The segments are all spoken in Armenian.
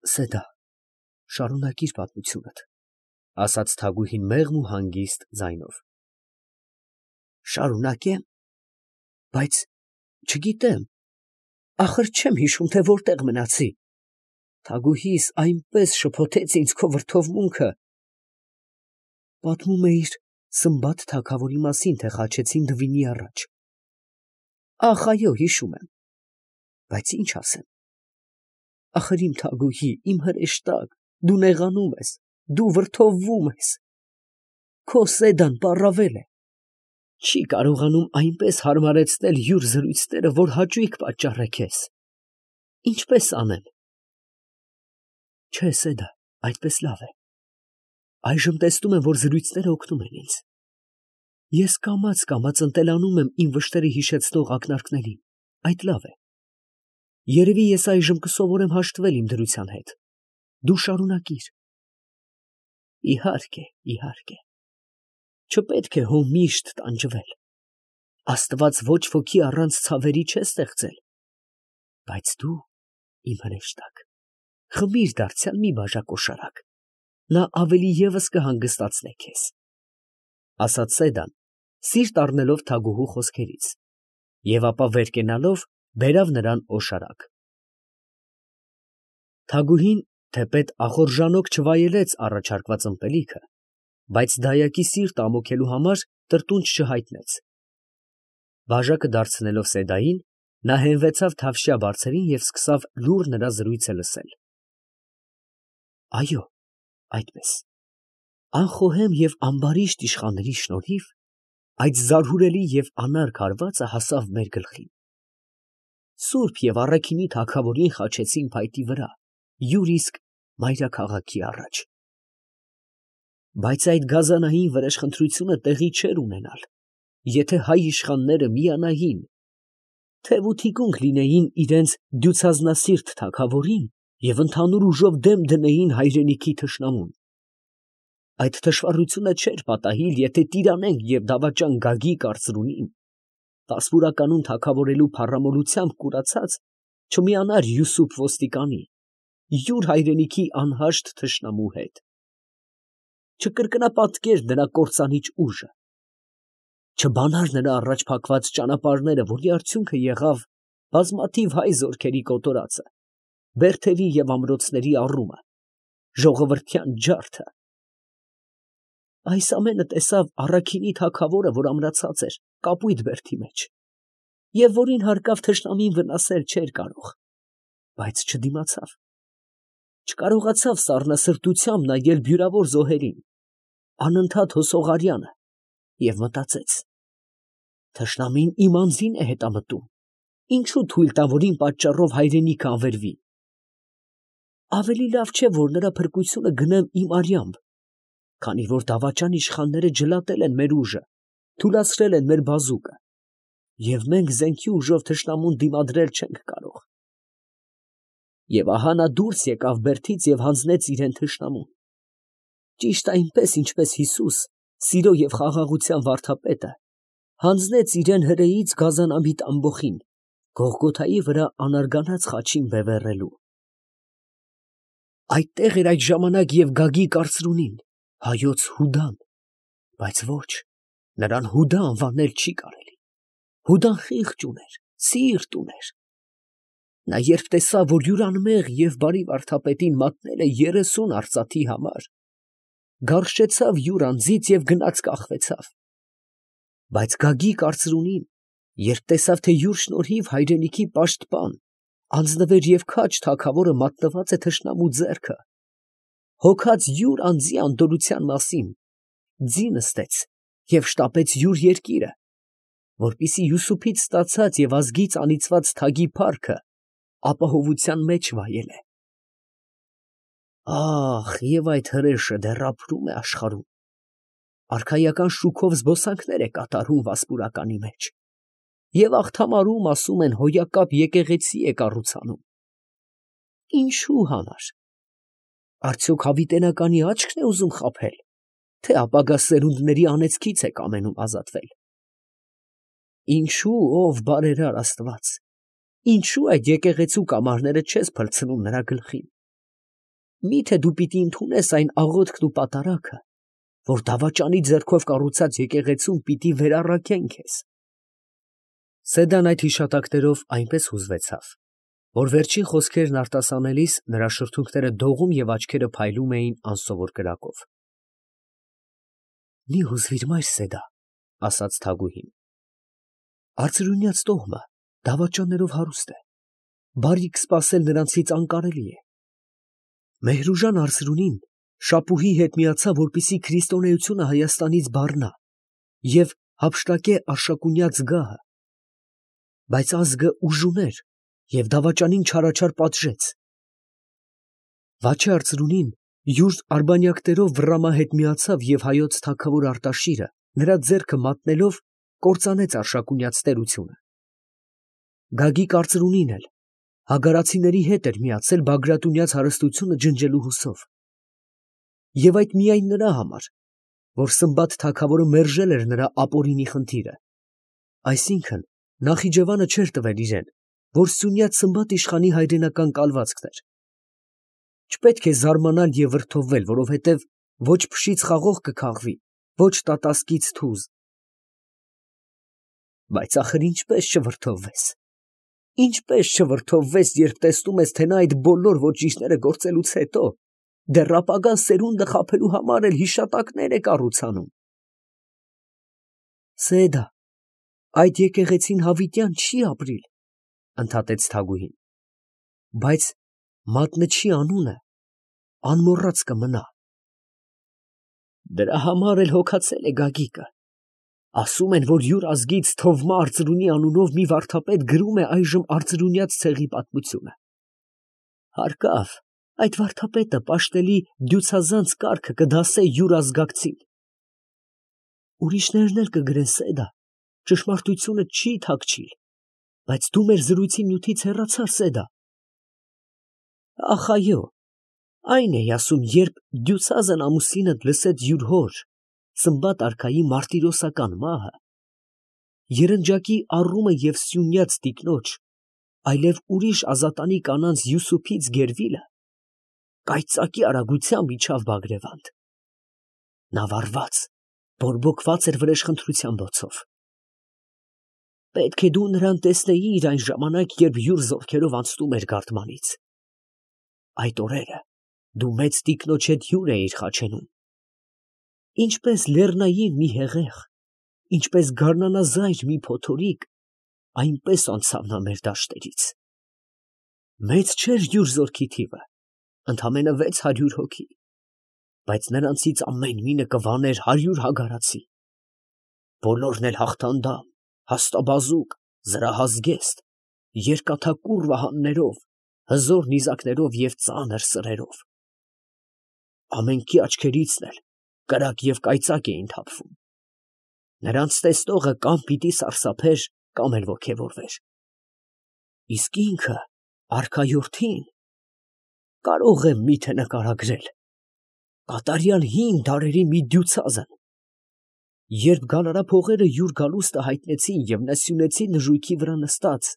Սեդա, շարունակիր պատմությունդ, ասաց Թագուհին մեղմ ու հանգիստ ձայնով։ Շարունակեմ, բայց չգիտեմ, ախր չեմ հիշում, թե որտեղ մնացի։ Թագուհիս այնպես շփոթեց ինձ քո վրդովմունքը։ Պատմում էիր Սմբատ թագավորի մասին, թե խաչեցին Դվինի առաջ։ Ախ, այո, հիշում եմ, բայց ինչ ասեմ։ Ախր իմ Թագուհի, իմ հրեշտակ, դու նեղանում ես, դու վրդովվում ես։ Քո Սեդան պառավել է, չի կարողանում այնպես հարմարեցնել յուր զրույցները, որ հաճույք պատճառե քեզ։ Ինչպես անեմ։ Չէ, Սեդա, այդպես լավ է։ Այժմ տեսնում եմ, որ զրույցները օգնում են ինձ։ Ես կամաց ընտելանում եմ իմ վշտերը հիշեցնող ակնարկներին, այդ լավ է։ Երևի ես այժմ կսովորեմ հաշտվել իմ դրության հետ։ Դու շարունակիր։ Իհարկե, իհարկե։ Չպետք է հո միշտ տանջվել։ Աստված ոչ ոքի առանց ցավերի չէ ստեղծել։ Բայց դու, իմ հրեշտակ, խմիր դարձյալ մի բաժակ օշարակ, նա ավելի ևս կհանգստացնե քեզ, ասաց Սեդան, սիրտ առնելով Թագուհու խոսքերից, և ապա վեր կենալով բերավ նրան օշարակ։ Թագուհին թեպետ ախորժանոք չվայելեց առաջարկված ըմպելիքը, բայց դայակի սիրտ ամոքելու համար տրտունջ չհայտնեց։ Բաժակը դարձնելով Սեդային, նա հենվեցավ թավշյա բարձերին և սկսավ լուռ նրա զրույցը լսել։ Այո, այդպես, անխոհեմ և ամբարիշտ իշխանների շնորհիվ այդ զարհուրելի և անարգ հարվածը հասավ մեր գլխին։ Սուրբ և առաքինի թագավորին խաչեցին փայտի վրա, յուր իսկ մայրաքաղաքի առաջ։ Բայց այդ գազանային վրեժխնդրությունը տեղի չէր ունենալ, եթե հայ իշխանները միանային, թև ու թիկունք լինեին իրենց դյուցազնասիրտ թագավորին և ընդհանուր ուժով դեմ դնեին հայրենիքի թշնամուն։ Այդ թշվառությունը չէր պատահիլ, եթե տիրանենք և դավաճան Գագիկ արծրունին, Տասպուրականում թագավորելու փառամոլությամբ կուրացած, չմիանար Յուսուփ ոստիկանի, յուր հայրենիքի անհաշտ թշնամու հետ։ Չկրկնապատկեր նրա կործանիչ ուժը, չբանար նրա առաջ փակված ճանապարհները, որի արդյունքը եղավ բազմաթիվ հայ զորքերի կոտորածը, բերդերի և ամրոցների առումը, ժողովրդյան ջարդը։ Այս ամենը տեսավ առաքինի թագավորը, որ ամրացած էր կապույտ բերդի մեջ, և որին հարկավ թշնամին վնասել չէր կարող, բայց չդիմացավ, չկարողացավ սառնասրտությամբ նայել բյուրավոր զոհերին, անընդհատ հոսող արյանը, և մտածեց. թշնամին իմ անձին է հետամտում, ինչու թույլ տա, որ իմ պատճառով հայրենիքը անվերվի։ Ավելի լավ չէ, որ նրա փրկությունը գնեմ իմ արյամբ, քանի որ դավաճան իշխանները ջլատել են մեր ուժը, թուլացրել են մեր բազուկը, և մենք զենքի ուժով թշնամուն դիմադրել չենք կարող։ Եվ ահա նա դուրս եկավ բերդից և հանձնեց իրեն թշնամուն, ճիշտ այնպես, ինչպես Հիսուս, սիրո և խաղաղության վարդապետը, հանձնեց իրեն հրեից գազանամիտ ամբոխին, Գողգոթայի վրա անարգանած խաչին բևեռելու։ Այդտեղ էր այդ ժամանակ և Գագիկ արծրունին, հայոց Հուդան, բայց ոչ, նրան Հուդա անվանել չի կարելի։ Հուդան խիղճ ուներ, սիրտ ուներ։ Նա երբ տեսավ, որ յուր անմեղ և բարի վարդապետին մատնել է 30 արծաթի համար, գարշչեցավ յուր անձից և գնաց կախվեցավ։ Բայց Գագիկ արծրունին, երբ տեսավ, թե յուր շնորհիվ հայրենիքի պաշտպան, անձնվեր և քաջ թագավորը մատնված է թշնամու ձեռքը, հոգած յուր անձի անդորրության մասին, ձի նստեց և շտապեց յուր երկիրը, որպեսզի Յուսուփից ստացած և ազգից անիծված թագի փառքը ապահովության մեջ վայելե։ Ահ, և այդ հրեշը դեռ ապրում է աշխարհում, արքայական շուքով զբոսանքներ է կատարում Վասպուրականի մեջ, և աղթամարում, ասում են, հոյակապ եկեղեցի է կառուցանում։ Ինչու համար։ Արդյոք հավիտենականի աչքն է ուզում խաբել, թե ապագա սերունդների անեծքից է կամենում ազատվել։ Ինչու, ով բարերար Աստված, ինչու այդ եկեղեցու կամարները չես փլցնում նրա գլխին։ Միթե դու պիտի ընդունես այն աղոթքն ու պատարագը, որ դավաճանի ձեռքով կառուցած եկեղեցում պիտի վերառաքեն քեզ։ Սեդան այդ հիշատակներով այնպես հուզվեցավ, որ վերջին խոսքերն արտասանելիս նրա շրթունքները դողում և աչքերը փայլում էին անսովոր կրակով։ Մի հուզվիր, մայր Սեդա, ասաց Թագուհին։ Արծրունյաց տոհմը դավաճաններով հարուստ է, բարիք սպասել նրանցից անկարելի է։ Մեհրուժան Արծրունին շապուհի հետ միացավ, որպեսզի քրիստոնեությունը Հայաստանից բառնա և հափշտակե Արշակունյաց գահը, բայց ազգը ուժ ուներ և դավաճանին չարաչար պատժեց։ Վաչե Արծրունին յուր արբանյակներով վռամա հետ միացավ և հայոց թագավոր Արտաշիրը նրա ձեռքը մատնելով կործանեց Արշակունյաց տերությունը։ Գագիկ Արծրունին էլ հագարացիների հետ էր միացել Բագրատունյաց հարստությունը ջնջելու հուսով։ Եվ այդ միայն նրա համար, որ Սմբատ թագավորը մերժել էր նրա ապօրինի խնդիրը, այսինքն Նախիջևանը չէր տվել իրեն, որ Սյունյաց Սմբատ իշխանի հայրենական կալվածքն էր։ Չպետք է զարմանալ և վրդովվել, որովհետև ոչ փշից խաղող կքաղվի, ոչ տատասկից թուզ։ Բայց ախր ինչպես չվրդովվես։ Ինչպես չվրդովվես, երբ տեսնում ես, թե նա այդ բոլոր ոճիշները գործելուց հետո դեռ ապագա սերունդը խաբելու համար էլ հիշատակներ է կառուցանում։ Սեդա, այդ եկեղեցին հավիտյան չի ապրիլ, ընդհատեց Թագուհին, բայց մատնչի անունը անմոռաց կմնա։ Դրա համար էլ հոգացել է Գագիկը։ Ասում են, որ յուր ազգից Թովմա Արծրունի անունով մի վարդապետ գրում է այժմ Արծրունյաց ցեղի պատմությունը։ Հարկավ, այդ վարդապետը պաշտելի դյուցազանց կարգը կդասե յուր ազգակցին։ Ուրիշներն էլ կգրեն, Սեդա, ճշմարտությունը չի թաքչիլ, բայց դու մեր զրույցի նյութից հեռացար, Սեդա։ Ախ, այո, այն էի ասում, երբ դյուցազն ամուսինդ լսեց յուր հոր Սմբատ արքայի մարտիրոսական մահը, երնջակի առումը և Սյունյաց տիկնոջ, այլև ուրիշ ազատանի կանանց Յուսուփից գերվիլը, կայծակի արագությամբ իջավ Բագրևանդ։ Նա վառված, բորբոքված էր վրեժխնդրության բոցով։ Պետք է դու նրան տեսնեիր այն ժամանակ, երբ յուր զորքերով անցնում էր Գարդմանից։ Այդ օրերը դու մեծ տիկնոջ հետ հյուր էիր խաչենում։ Ինչպես լեռնային մի հեղեղ, ինչպես գարնանազայր մի փոթորիկ, այնպես անցավ նա մեր դաշտերից։ Մեծ չէր յուր զորքի թիվը, ընդամենը 600 հոգի, բայց նրանցից ամեն մինը կվաներ 100 հագարացի։ Բոլորն էլ հաղթանդամ, հաստաբազուկ, զրահազգեստ, երկաթակուռ վահաններով, հզոր նիզակներով և ծանր սրերով։ Ամենքի աչքերիցն էլ կրակ և կայծակ էին թափվում։ Նրանց տեսնողը կամ պիտի սարսափեր, կամ էլ ոգևորվեր։ Իսկ ինքը, արքայորդին, կարող եմ միթե նկարագրել, կատարյալ հին դարերի մի դյուցազն։ Երբ գալարափողերը յուր գալուստը հայտնեցին և նա Սյունեցի նժույգի վրա նստած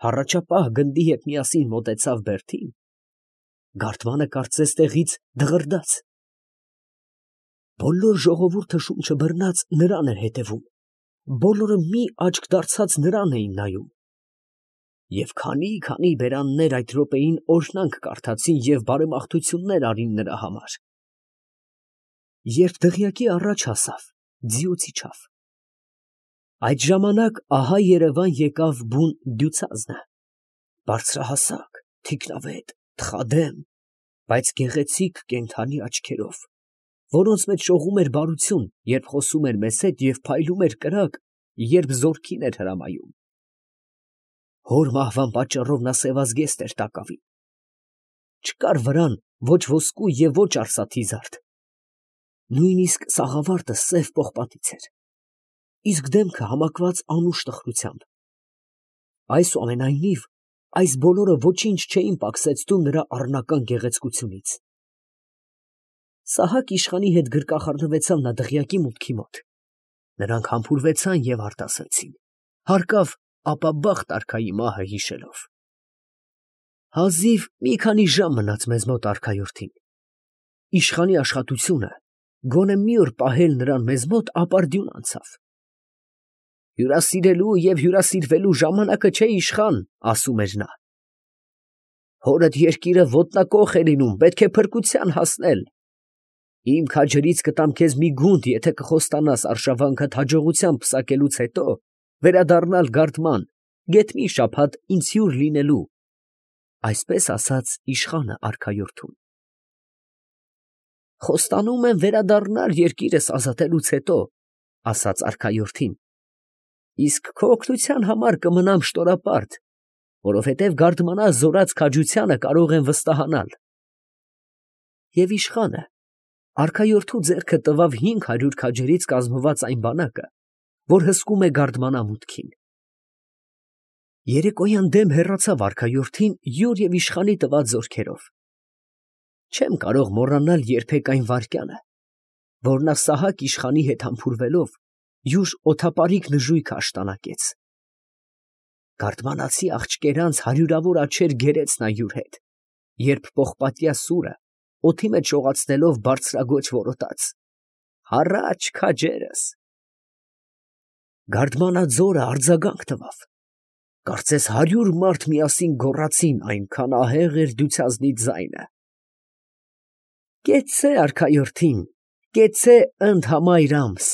հառաջապահ գնդի հետ միասին մոտեցավ բերդին, Գարդմանը կարծես տեղից դղրդաց։ Բոլոր ժողովուրդը շունչը բռնած նրան էր հետևում, բոլորը մի աչք դարձած նրան էին նայում։ Եվ քանի բերաններ այդ րոպեին օրհնանք կարդացին և բարեմաղթություններ արին նրա համար։ Երբ դղյակի առաջ հասավ, ձիուց իջավ։ Այդ ժամանակ ահա երևան եկավ բուն դյուցազնը, բարձրահասակ, թիկնավետ, թխադեմ, բայց գեղեցիկ կենդանի աչքերով, որոնց մեջ շողում էր բարություն, երբ խոսում էր մեզ հետ, և փայլում էր կրակ, երբ զորքին էր հրամայում։ Հոր մահվան պատճառով նա սևազգեստ էր տակավին։ Չկար վրան ոչ ոսկու և ոչ արսաթի զարդ, նույնիսկ սաղավարտը սև պողպատից էր, իսկ դեմքը համակված անուշ տխրությամբ։ Այսուամենայնիվ, այս բոլորը ոչինչ չէին պակսեցնում նրա առնական գեղեցկությունից։ Սահակ իշխանի հետ գրկախառնվեցավ նա դղյակի մուտքի մոտ։ Նրանք համբուրվեցան և արտասվեցին, հարկավ ապաբախտ արքայի մահը հիշելով։ Հազիվ մի քանի ժամ մնաց մեզ մոտ արքայորդին, իշխանի աշխատությունը գոնե մի օր պահել նրան մեզ մոտ ապարդյուն անցավ։ Հյուրասիրելու և հյուրասիրվելու ժամանակը չէ իշխան, ասում էր նա։ Հորդ երկիրը ոտնակոխ է լինում, պետք է փրկության հասնել։ Իմ քաջերից կտամ քեզ մի գունդ, եթե կխոստանաս արշավանքդ հաջողությամբ պսակելուց հետո վերադառնալ Գարդման, գեթ մի շաբաթ ինձ հյուր լինելու, այսպես ասաց իշխանը արքայորդուն։ Խոստանում եմ վերադառնալ երկիրս ազատելուց հետո, ասաց արքայորդին, իսկ քո օգնության համար կմնամ շտորապարտ, որովհետև Գարդմանա զորած քաջությանը կարող եմ վստահանալ։ Եվ իշխանը արքայորդու ձեռքը տվավ 500 քաջերից կազմված այն բանակը, որ հսկում է Գարդմանա մուտքին։ Երեկոյան դեմ հեռացավ արքայորդին յուր և իշխանի տված զորքերով։ Չեմ կարող մոռանալ երբեք այն վայրկյանը, որ նա Սահակ իշխանի հետ համբուրվելով յուր օդապարիկ նժույգը աշտանակեց։ Գարդմանացի աղջկերանց հարյուրավոր աջեր գերեց նա յուր հետ, երբ պողպատյա սուրը օդի մեջ շողացնելով բարձրագոչ որոտաց. «Հառաչ քաջերս»։ Գարդմանա ձորը արձագանք տվավ, կարծես 100 մարդ միասին գոռացին, այնքան ահեղ էր դյուցազնի ձայնը։ «Կեցցե արքայորդին, կեցցե ընդհամայր ամս»,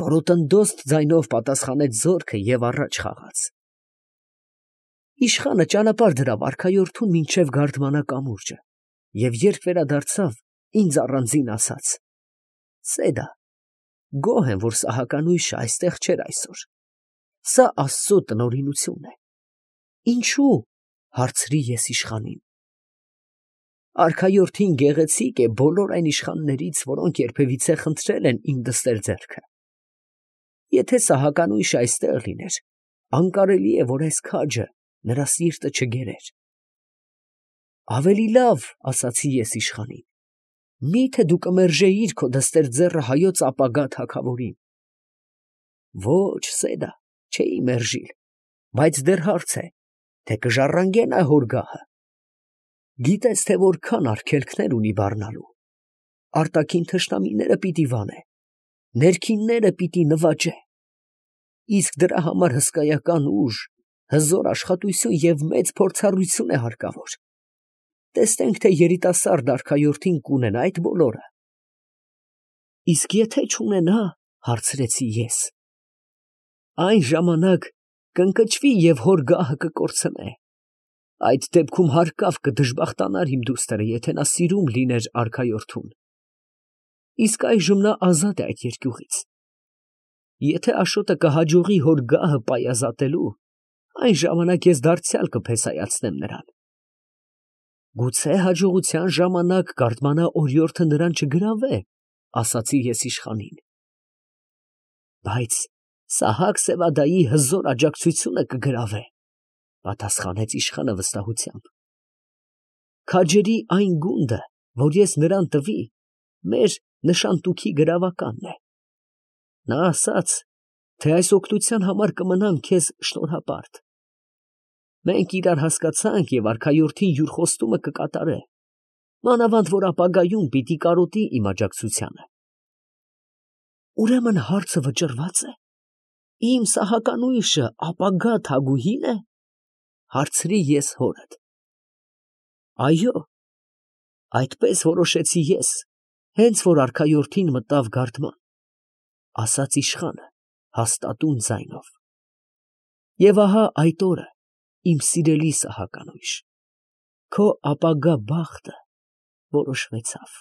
որոտնդոստ ձայնով պատասխանեց զորքը և առաջ խաղաց։ Իշխանը ճանապարհ դրավ արքայորդուն մինչև Գարդմանա կամուրջը, և երբ վերադարձավ, ինձ առանձին ասաց. «Սեդա, գոհ եմ, որ Սահականույշը այստեղ չէր այսօր. սա Աստծո տնօրինություն է»։ «Ինչու՞, հարցրի ես իշխանին։ Արքայորդին գեղեցիկ է բոլոր այն իշխաններից, որոնք երբևիցե խնդրել են իմ դստեր ձեռքը։ Եթե Սահականույշը այստեղ լիներ, անկարելի է, որ այս քաջը նրա սիրտը չգերեր։ Ավելի լավ, ասացի ես իշխանին, միթե դու կմերժեիր քո դստեր ձեռը հայոց ապագա թագավորին։ Ոչ, Սեդա, չէի մերժիլ, բայց դեռ հարց է, թե կժառանգե նա հոր գահը։ Գիտես, թե որքան արգելքներ ունի բառնալու։ Արտաքին թշնամիները պիտի վանե, ներքինները պիտի նվաճե, իսկ դրա համար հսկայական ուժ, հզոր աշխատություն և մեծ փորձառություն է հարկավոր։ Տեսնենք, թե երիտասարդ արքայորդին կունենա այդ բոլորը։ Իսկ եթե չունենա, հարցրեցի ես, այն ժամանակ կընկճվի և հոր գահը կկորցնե։ Այդ դեպքում հարկավ կդժբախտանար իմ դուստրը, եթե նա սիրում լիներ արքայորդուն։ Իսկ այժմ նա ազատ է այդ երկյուղից։ Եթե Աշոտը կհաջողի հոր գահը պայազատելու, այն ժամանակ ես դարձյալ կփեսայացնեմ նրան։ Գուցե հաջողության ժամանակ Գարդմանա օրիորդը նրան չգրավե, ասացի ես իշխանին։ Բայց Սահակ Սևադայի հզոր աջակցությունը կգրավե, պատասխանեց իշխանը վստահությամբ։ Քաջերի այն գունդը, որ ես նրան տվի, մեր նշանտուքի գրավականն է։ Նա ասաց, թե այս օգնության համար կմնամ քեզ շնորհապարտ։ Մենք իրար հասկացանք և արքայորդին յուր խոստումը կկատարե, մանավանդ որ ապագայում պիտի կարոտի իմ աջակցությանը։ Ուրեմն հարցը վճռված է։ Իմ Սահականույշը ապագա թագուհի՞ն է, հարցրի ես հորդ։ Այո, այդպես որոշեցի ես, հենց որ արքայորդին մտավ Գարդման, ասաց իշխանը հաստատուն ձայնով։ Եվ ահա այդ օրը, իմ սիրելի Սահականույշ, քո ապագա բախտը որոշվեցավ։